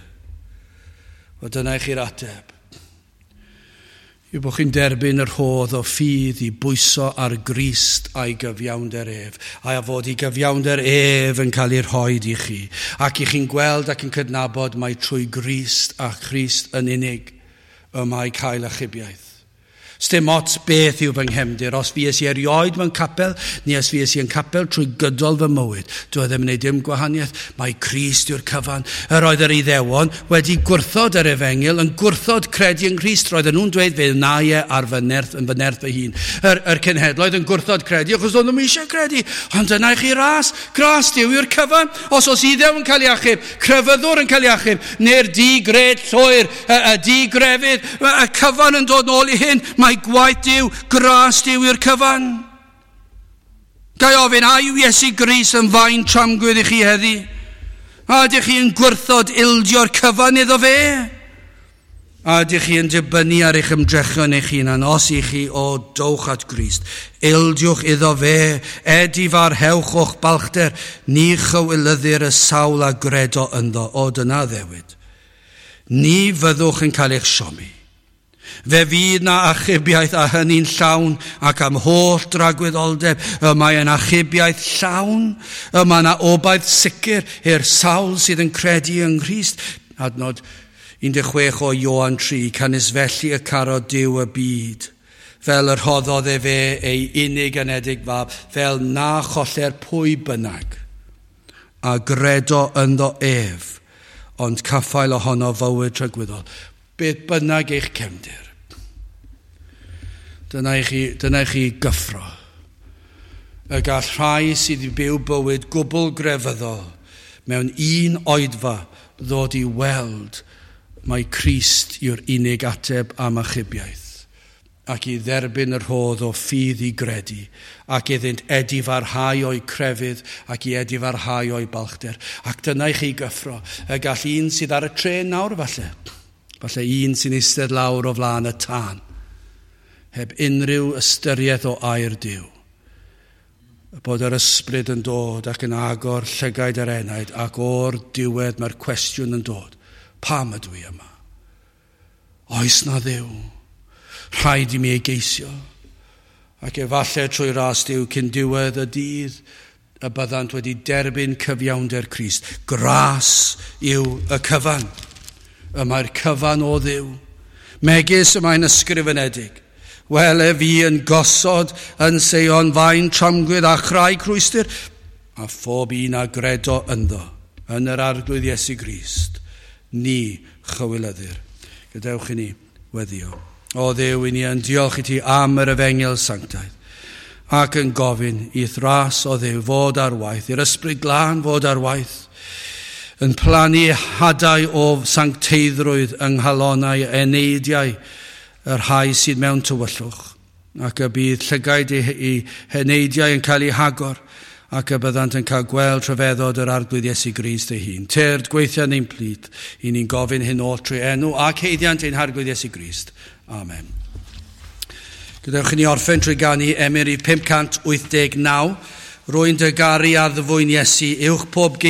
Speaker 1: Wel, dyna i chi'r ateb. Yw bod chi'n derbyn y rhodd o ffydd i bwyso ar Grist a'i gyfiawnder ef, a fod i gyfiawnder ef yn cael ei rhoi i chi, ac i chi'n gweld ac yn cydnabod mai trwy Grist a Christ yn unig y mae cael achubiaeth. Sdim ots beth yw fy nghefndir, os fues i erioed mewn capel, neu os fues i yn capel trwy gydol fy mywyd, dwi ddim yn gwneud dim gwahaniaeth, mae Crist yw'r cyfan. Yr oedd yr Iddewon wedi gwrthod yr efengyl, yn gwrthod credu yng Nghrist, roedden nhw'n dweud fe wna i e ar fy nerth, yn fy nerth fy hun. Yr cenhedloedd yn gwrthod credu, achos oedden nhw'n eisiau credu, ond dyna i chi ras, gras Duw yw'r cyfan. Os oes Iddew yn cael ei achub, crefyddwr yn cael ei achub, neu'r di-gred llwyr, y di-grefydd, y cyfan yn dod nôl i hyn, mae gwaith Duw, gras Duw yw'r cyfan. Ga i ofyn, a yw Iesu Grist yn faen tramgwydd i chi heddi? A ydych chi yn gwrthod ildio'r cyfan iddo fe? A ydych chi yn dibynnu ar eich ymdrechion eich hunan? Os i chi, o, dowch at Grist. Ildiwch iddo fe, edifarhewch o'ch balchder, ni chywilyddir y sawl a gredo ynddo. O, dyna ddewid. Ni fyddwch yn cael eich siomi. Fe fydd na achubiaeth a hynny'n llawn ac am holl dragwyddoldeb. Y mae yn achubiaeth llawn, y mae yna obaith sicr i'r sawl sydd yn credu yng Nghrist. Adnod 16 o Ioan 3, canys felly y carodd Duw y byd, fel yr rhoddodd efe ei unig anedig fab, fel na choller pwy bynnag, a gredo ynddo ef, ond caffael ohono fywyd tragwyddol. Beth bynnag eich cefndir. Dyna i chi gyffro. Y gall rhai sydd wedi byw bywyd gwbl grefyddol mewn un oedfa ddod i weld mai Crist yw'r unig ateb am achubiaeth, ac i dderbyn y rhodd o ffydd i gredu, ac iddynt edifarhau o'u crefydd, ac i edifarhau o'u balchder. Ac dyna i chi gyffro, y gall un sydd ar y trên nawr falle, falle un sy'n eistedd lawr o flaen y tân, heb unrhyw ystyriaeth o air Duw, bod yr ysbryd yn dod ac yn agor llygaid yr enaid, ac o'r diwedd mae'r cwestiwn yn dod, pam ydw i yma? Oes na Dduw? Rhaid i mi ei geisio. Ac efallai trwy ras Duw cyn diwedd y dydd y byddant wedi derbyn cyfiawnder Crist. Gras yw y cyfan. Y mae'r cyfan o Dduw. Megis y mae'n ysgrifenedig. Wele fi yn gosod yn Seion faen tramgwydd a chraig rhwystr, a phob un a gredo ynddo, yn yr Arglwydd Iesu Grist, ni chywilyddir. Gadewch i ni weddio. O Dduw, i ni yn diolch i ti am yr efengyl sanctaidd, ac yn gofyn i'th ras o Dduw fod ar waith, i'r ysbryd glân fod ar waith, yn plannu hadau o sancteiddrwydd yng nghalonnau eneidiau y rhai sydd mewn tywyllwch, ac y bydd llygaid eu heneidiau yn cael eu hagor, ac y byddant yn cael gweld rhyfeddod yr Arglwydd Iesu Grist ei hun. Tyrd, gweithio yn ein plith, i ni'n gofyn hyn oll trwy enw ac haeddiant ein Harglwydd Iesu Grist. Amen. Gadewch i ni orffen trwy ganu emyn 589. Rwy'n dy garu addfwyn Iesu, uwch pob